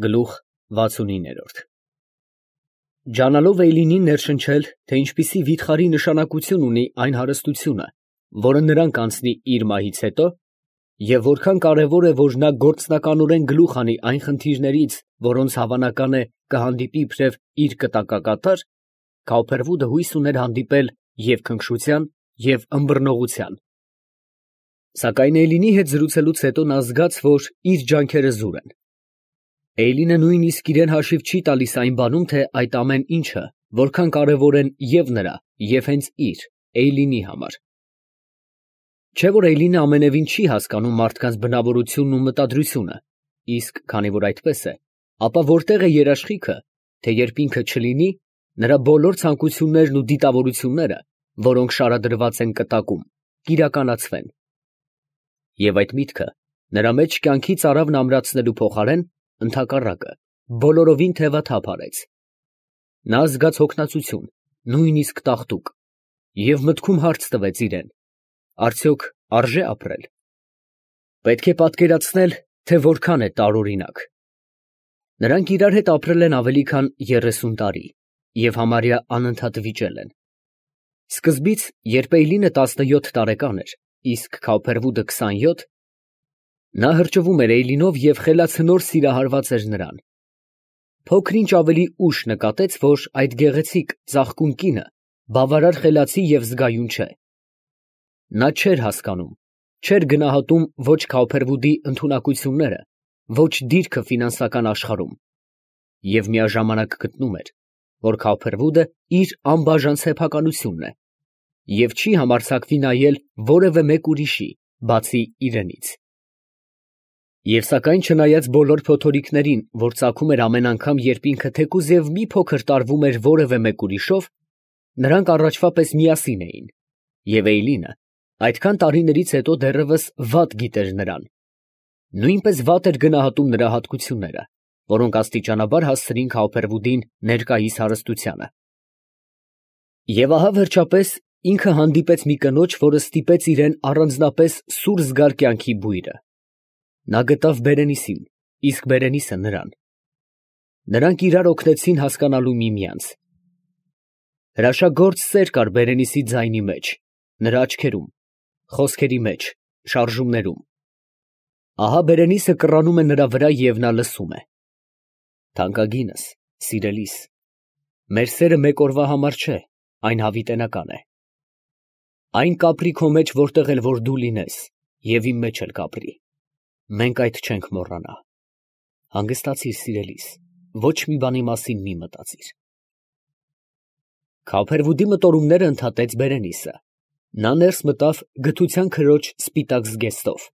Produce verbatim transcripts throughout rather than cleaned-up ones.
Գլուխ վաթսունիններորդ Ջանալով Էյլինին ներշնչել, թե ինչպիսի վիթխարի նշանակություն ունի այն հարստությունը, որը նրան կանցնի իր մահից հետո, և որքան կարևոր է, որ նա գործնականորեն գլուխ հանի այն խնդիրներից, որոնց հավանական է կհանդիպի իբրև իր կտակակատար, Քավփերվուդը հույս ուներ հանդիպել և քնքշության, և ըմբռնողության։ Սակայն Էյլինի հետ զրուցելուց հետո նա զգաց, որ իր ջանքերը զուր են։ Էյլինը նույնիսկ իրան հաշիվ չի տալիս այն բանում, թե այդ ամեն ինչը որքան կարևոր են և նրա, և հենց իր՝ Էյլինի համար։ Չէ՞ որ Էյլինը ամենևին չի հասկանում մարդկանց բնավորությունն ու մտադրությունը, իսկ քանի որ այդպես է, ապա որտե՞ղ է երաշխիքը, թե երբ ինքը չլինի, նրա բոլոր ցանկություններն ու դիտավորությունները, որոնք շարադրված են կտակում, կիրականացվեն։ Եվ այդ միտքը նրա մեջ կյանքից արավն ամրացնելու փոխարեն, ընդհակառակը, բոլորովին թևաթափ արեց։ Նա զգաց հոգնածություն, նույնիսկ տաղտուկ, և մտքում հարց տվեց իրան. արդյոք արժե՞ ապրել։ Պետք է պատկերացնել, թե որքան է տարօրինակ։ Նրանք իրար հետ ապրել են ավելի քան երեսուն տարի և համարյա անընդհատ վիճել են։ Սկզբից, երբ Էյլինը տասնյոթ տարեկան էր, իսկ Քավփերվուդը քսանյոթ, նա հրճվում էր Էյլինով և խելացնոր սիրահարված էր նրան։ Փոքր ինչ ավելի ուշ նկատեց, որ այդ գեղեցիկ, ծաղկուն կինը բավարար խելացի և զգայուն չէ։ Նա չէր հասկանում, չէր գնահատում ոչ Քավփերվուդի ընդունակությունները, ոչ դիրքը ֆինանսական աշխարհում, և միաժամանակ գտնում էր, որ Քավփերվուդը իր անբաժան սեփականությունն է և չի համարձակվի նայել որևէ մեկ ուրիշի, բացի իրենից։ Եվ սակայն չնայած բոլոր փոթորիկներին, որ ծագում էր ամեն անգամ, երբ ինքը թեկուզ և մի փոքր տարվում էր որևէ մեկ ուրիշով, նրանք առաջվա պես միասին էին, և Էյլինը այդքան տարիներից հետո դեռևս վատ գիտեր նրան, նույնպես վատ էր գնահատում նրա հատկությունները, որոնք աստիճանաբար հասցրին Քավփերվուդին ներկայիս հարստությանը։ Եվ ահա վերջապես ինքը հանդիպեց մի կնոջ, որը ստիպեց իրան առանձնապես սուր զգալ կյանքի բույրը։ Նա գտավ Բերենիսին, իսկ Բերենիսը նրան։ Նրանք իրար օգնեցին հասկանալու միմյանց։ Հրաշագործ սեր կար Բերենիսի ձայնի մեջ, նրա աչքերում, խոսքերի մեջ, շարժումներում։ Ահա Բերենիսը կռանում է նրա վրա, և նա լսում է. «Թանկագինս, սիրելիս, մեր սերը մեկ օրվա համար չէ, այն հավիտենական է։ Այն կապրի քո մեջ, որտեղ էլ որ դու լինես, և իմ մեջ էլ կապրի։ Մենք այդ չենք մոռանա։ Հանգստացիր, սիրելիս, ոչ մի բանի մասին մի մտածիր»։ Քավփերվուդի մտորումները ընդհատեց Բերենիսը։ Նա ներս մտավ գթության քրոջ սպիտակ զգեստով։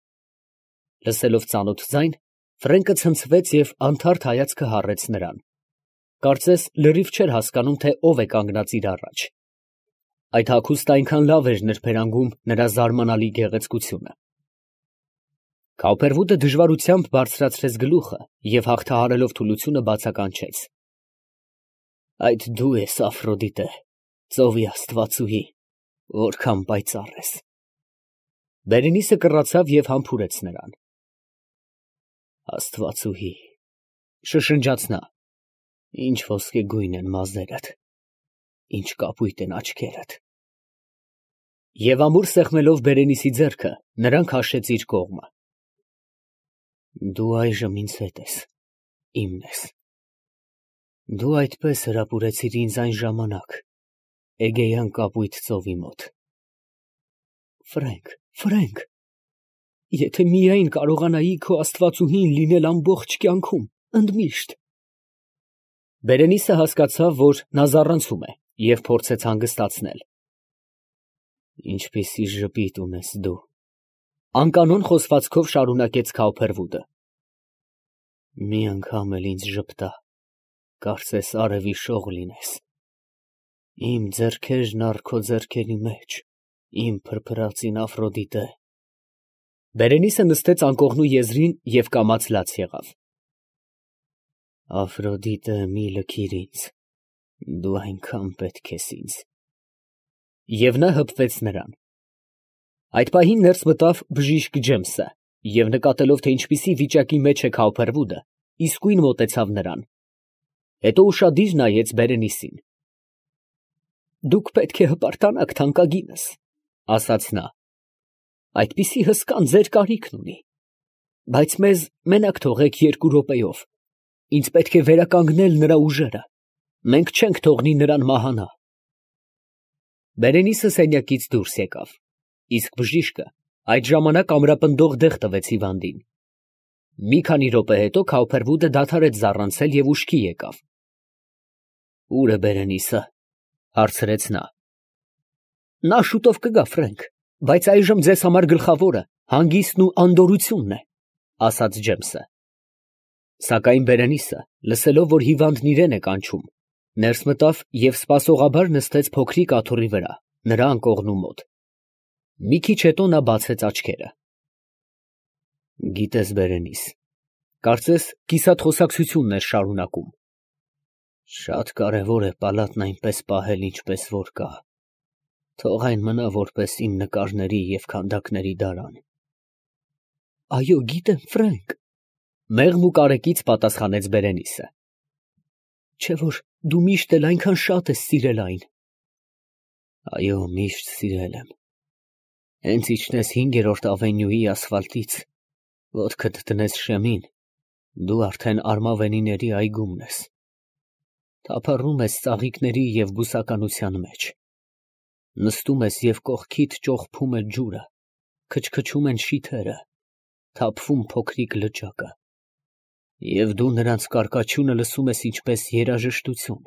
Լսելով ծանոթ ձայն, Ֆրենկը ցնցվեց և անթարթ հայացքը հառեց նրան։ Կարծես լրիվ չէր հասկանում, թե ով է կանգնած իր առաջ։ Այդ հագուստը այնքան լավ էր նրբերանգում նրա զարմանալի գեղեցկությունը։ Քավփերվուդը դժվարությամբ բարձրացրեց գլուխը և հաղթահարելով թուլությունը բացականչեց. «Այդ դու ես, Աֆրոդիտե, ծովի աստվածուհի, որքան պայծառ ես»։ Բերենիսը կռացավ և համբուրեց նրան։ «Աստվածուհի, ֊ շշնջաց նա, ֊ ինչ ոսկեգույն են մազերդ, ինչ կապույտ են աչքերդ»։ Եվ ամուր սեղմելով Բերենիսի ձեռքը, նրան քաշեց իր կողմը։ «Դու այժմ ինձ հետ ես, իմն ես։ Դու այդպես հրապուրեցիր ինձ այն ժամանակ Էգեյան կապույտ ծովի մոտ։ Ֆրենք, Ֆրենք, եթե միայն կարողանայի քո աստվածուհին լինել ամբողջ կյանքում, ընդմիշտ»։ Բերենիսը հասկացավ, որ նա զառանցում է, և փորձեց հանգստացնել։ «Ինչպիսի ժպիտ ունես դու», ֊ անկանոն խոսվածքով շարունակեց Քավփերվուդը։ «Մի անգամ էլ ինձ ժպտա, կարծես արևի շող լինես։ Իմ ձեռքերն առ քո ձեռքերի մեջ, իմ փրփրածին Աֆրոդիտե»։ Բերենիսը նստեց անկողնու եզրին և կամաց լաց եղավ։ «Աֆրոդիտե, մի լքիր ինձ, դու այնքան պետք ես ինձ»։ Եվ նա հպվեց նրան։ Այդ պահին ներս մտավ բժիշկ Ջեմսը, և նկատելով, թե ինչպիսի վիճակի մեջ է Քավփերվուդը, իսկույն մոտեցավ նրան, հետո ուշադիր նայեց Բերենիսին։ «Դուք պետք է հպարտանաք, թանկագինս, ֊ ասաց նա, ֊ այդպիսի հսկան ձեր կարիքն ունի, բայց մեզ մենակ թողեք երկու րոպեով, ինձ պետք է վերականգնել նրա ուժերը, մենք չենք թողնի նրան մահանա»։ Բերենիսը սենյակից դուրս եկավ, իսկ բժիշկը այդ ժամանակ ամրապնդող դեղ տվեց հիվանդին։ Մի քանի րոպե հետո Քաուփերվուդը դադարեց զառանցել և ուշքի եկավ։ «Ո՞ւր է Բերենիսը, ֊ հարցրեց նա։ ֊ Նա շուտով կգա, Ֆրենք, բայց այժմ ձեզ համար գլխավորը հանգիստն ու անդորրությունն է, ֊ ասաց Ջեյմսը։ Սակայն Բերենիսը, լսելով, որ հիվանդն իրան է կանչում, ներս մտավ և սպասողաբար նստեց փոքրիկ աթոռի վրա, նրա անկողնու մոտ։ Մի քիչ հետո նա բացեց աչքերը։ «Գիտես, Բերենիս, կարծես կիսատ խոսակցությունն էր շարունակում, շատ կարևոր է պալատն այնպես պահել, ինչպես որ կա, թող այն մնա որպես իմ նկարների և քանդակների դարան»։ «Այո, գիտեմ, Ֆրենք, ֊ մեղմ ու կարեկից պատասխանեց Բերենիսը, ֊ չէ՞ որ դու միշտ էլ այնքան շատ ես սիրել այն։ Այո, միշտ սիրել եմ։ Հենց իջնես հինգերորդ ավենյուի ասֆալտից, ոտքդ դնես շեմին, դու արդեն Արմավենիների այգումն ես, թափառում ես ծաղիկների և բուսականության մեջ, նստում ես և կողքիդ ճոխփում է ջուրը, քչքչում են շիթերը, թափվում փոքրիկ լճակը, և դու նրանց կարկաչյունը լսում ես ինչպես երաժշտություն,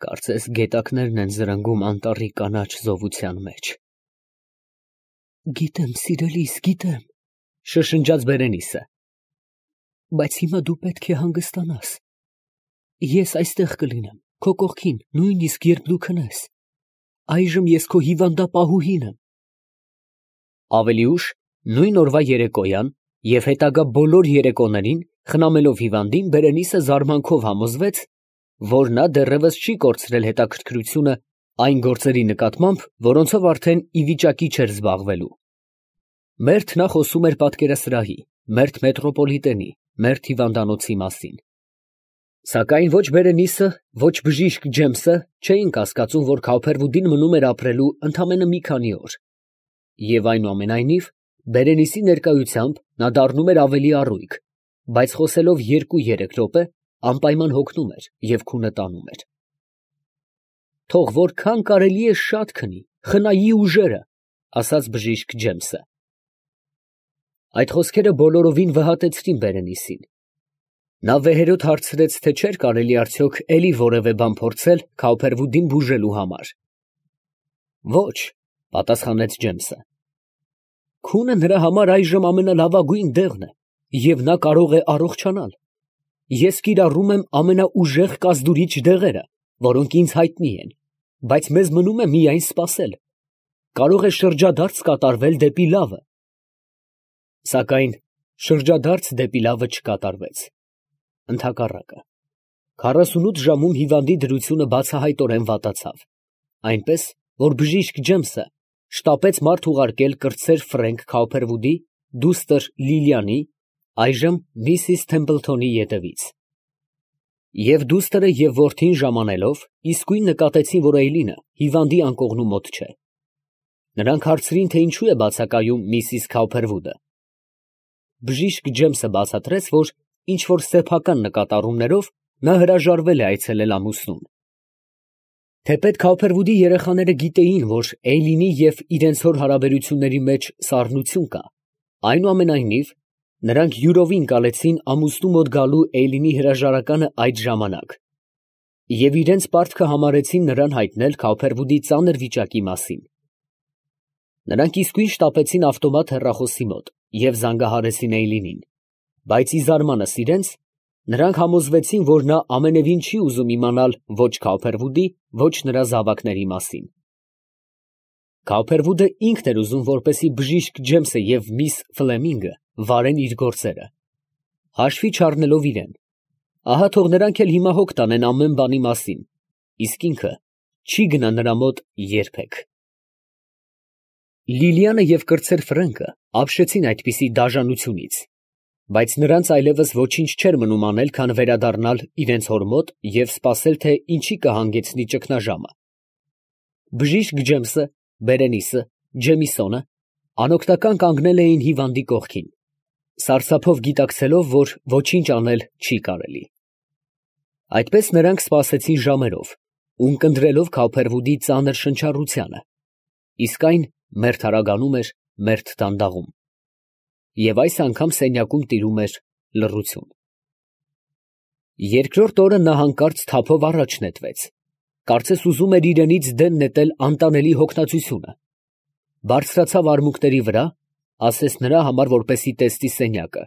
կարծես գետակներն են զրնգում անտառի կանաչ զովության մեջ»։ «Գիտեմ, սիրելիս, գիտեմ, ֊ շշնջաց Բերենիսը, ֊ բայց հիմա դու պետք է հանգստանաս, ես այստեղ կլինեմ, քո կողքին, նույնիսկ երբ դու քնես, այժմ ես քո հիվանդապահուհին եմ։ Ավելի ուշ, նույն օրվա երեկոյան և հետագա բոլոր երեկոներին, խնամելով հիվանդին, Բերենիսը զարմանքով համոզվեց, որ նա դեռևս չի կորցրել հետաքրքրությունը այն գործերի նկատմամբ, որոնցով արդեն ի վիճակի չէր զբաղվելու։ Մերթ նա խոսում էր պատկերասրահի, մերթ մետրոպոլիտենի, մերթ հիվանդանոցի մասին։ Սակայն ոչ Բերենիսը, ոչ բժիշկ Ջեյմսը չէին կասկածում, որ Քաուփերվուդին մնում էր ապրելու ընդամենը մի քանի օր, և այնուամենայնիվ Բերենիսի ներկայությամբ նա դառնում էր ավելի առույգ, բայց խոսելով երկու֊երեք րոպե անպայման հոգնում էր և քունը տանում էր։ «Թող որքան կարելի է շատ քնի, խնայի ուժերը, ֊ ասաց բժիշկ Ջեյմսը»։ Այդ խոսքերը բոլորովին վհատեցրին Բերենիսին։ Նա վեհերոտ հարցրեց, թե չէր կարելի արդյոք էլի որևէ բան փորձել Քաուփերվուդին բուժելու համար։ «Ոչ, ֊ պատասխանեց Ջեյմսը, ֊ քունը նրա համար այժմ ամենալավագույն դեղն է, և նա կարող է առողջանալ։ Ես կիրառում եմ ամենաուժեղ կազդուրիչ դեղերը, որոնք ինձ հայտնի են, բայց մեզ մնում է միայն սպասել։ Կարող է շրջադարձ կատարվել դեպի լավը»։ Սակայն շրջադարձ դեպի լավը չկատարվեց։ Ընդհակառակը, քառասունութ ժամում հիվանդի դրությունը բացահայտորեն վատացավ, այնպես, որ բժիշկ Ջեյմսը շտապեց մարդ ուղարկել կրտսեր Ֆրենք Քաուփերվուդի դուստր Լիլիանի, այժմ Միսիս Թեմպլթոնի ետևից։ Եվ դուստրը և որդին ժամանելով, իսկույն նկատեցին, որ Էյլինը հիվանդի անկողնու մոտ չէ։ Նրանք հարցրին, թե ինչու է բացակայում Միսիս Քաուփերվուդը։ Բժիշկ Ջեյմսը բացատրեց, որ ինչ֊որ սեփական նկատառումներով նա հրաժարվել է այցելել ամուսնուն։ Թեպետ Քաուփերվուդի երեխաները գիտեին, որ Էյլինի և իրենց հոր հարաբերությունների մեջ սառնություն կա, այնուամենայնիվ նրանք յուրովի ընկալեցին ամուսնու մոտ գալու Էյլինի հրաժարականը այդ ժամանակ և իրենց պարտքը համարեցին նրան հայտնել Քաուփերվուդի ծանր վիճակի մասին։ Նրանք իսկույն շտապեցին ավտոմատ հեռախոսի մոտ և զանգահարեցին Էյլինին, բայց ի զարմանս իրենց, նրանք համոզվեցին, որ նա ամենևին չի ուզում իմանալ ոչ Քաուփերվուդի, ոչ նրա զավակների մասին։ Քաուփերվուդը ինքն էր ուզում, որպեսզի բժիշկ Ջեյմսը և միս Ֆլեմինգը վարեն իր գործերը, հաշվի չառնելով իրան, ահա թող նրանք էլ հիմա հոգ տանեն ամեն բանի մասին, իսկ ինքը չի գնա նրա մոտ երբեք։ Լիլիանը և կրտսեր Ֆրենկը ապշեցին այդպիսի դաժանությունից, Բայց նրանց այլևս ոչինչ չէր մնում անել, քան վերադառնալ իրենց հոր մոտ և սպասել, թե ինչի կհանգեցնի ճգնաժամը։ Բժիշկ Ջեմսը, Բերենիսը, Ջեմիսոնը անօգնական կանգնել էին հիվանդի կողքին, սարսափով գիտակցելով, որ ոչինչ անել չի կարելի։ Այդպես նրանք սպասեցին ժամերով, ունկնդրելով Քափերվուդի ծանր շնչառությանը, իսկ այն մերթ հարագանում էր, մերթ դանդաղում, և այս անգամ սենյակում տիրում էր լռություն։ Երկրորդ օրը նա հանկարծ թափով առաջ նետվեց, կարծես ուզում էր իրենից դեն նետել անտանելի հոգնածությունը, բարձրացավ արմունկների վրա, ասես նրա համար, որպեսզի տեսնի սենյակը,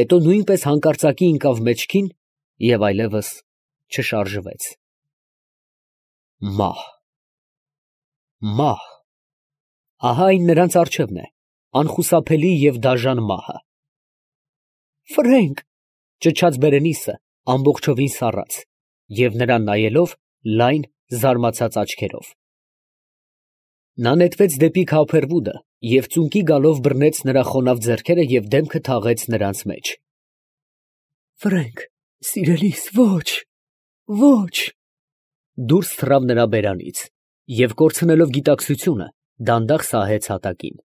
հետո նույնպես հանկարծակի ընկավ մեջքին և այլևս չշարժվեց։ Մահ… մահ… ահա այն նրանց առջևն է, անխուսափելի և դաժան մահը։ ֊ Ֆրենկ… ֊ ճչաց Բերենիսը ամբողջովին սառած և նրան նայելով լայն, զարմացած աչքերով։ Նա նետվեց դեպի Քափերվուդը և ծունկի գալով բռնեց նրա խոնավ ձեռքերը և դեմքը թաղեց նրանց մեջ։ ֊ Ֆրենկ… սիրելիս… ոչ… ոչ… Դուրս թռավ նրա բերանից և, կորցնելով գիտակցությունը, դանդաղ սահեց հատակին։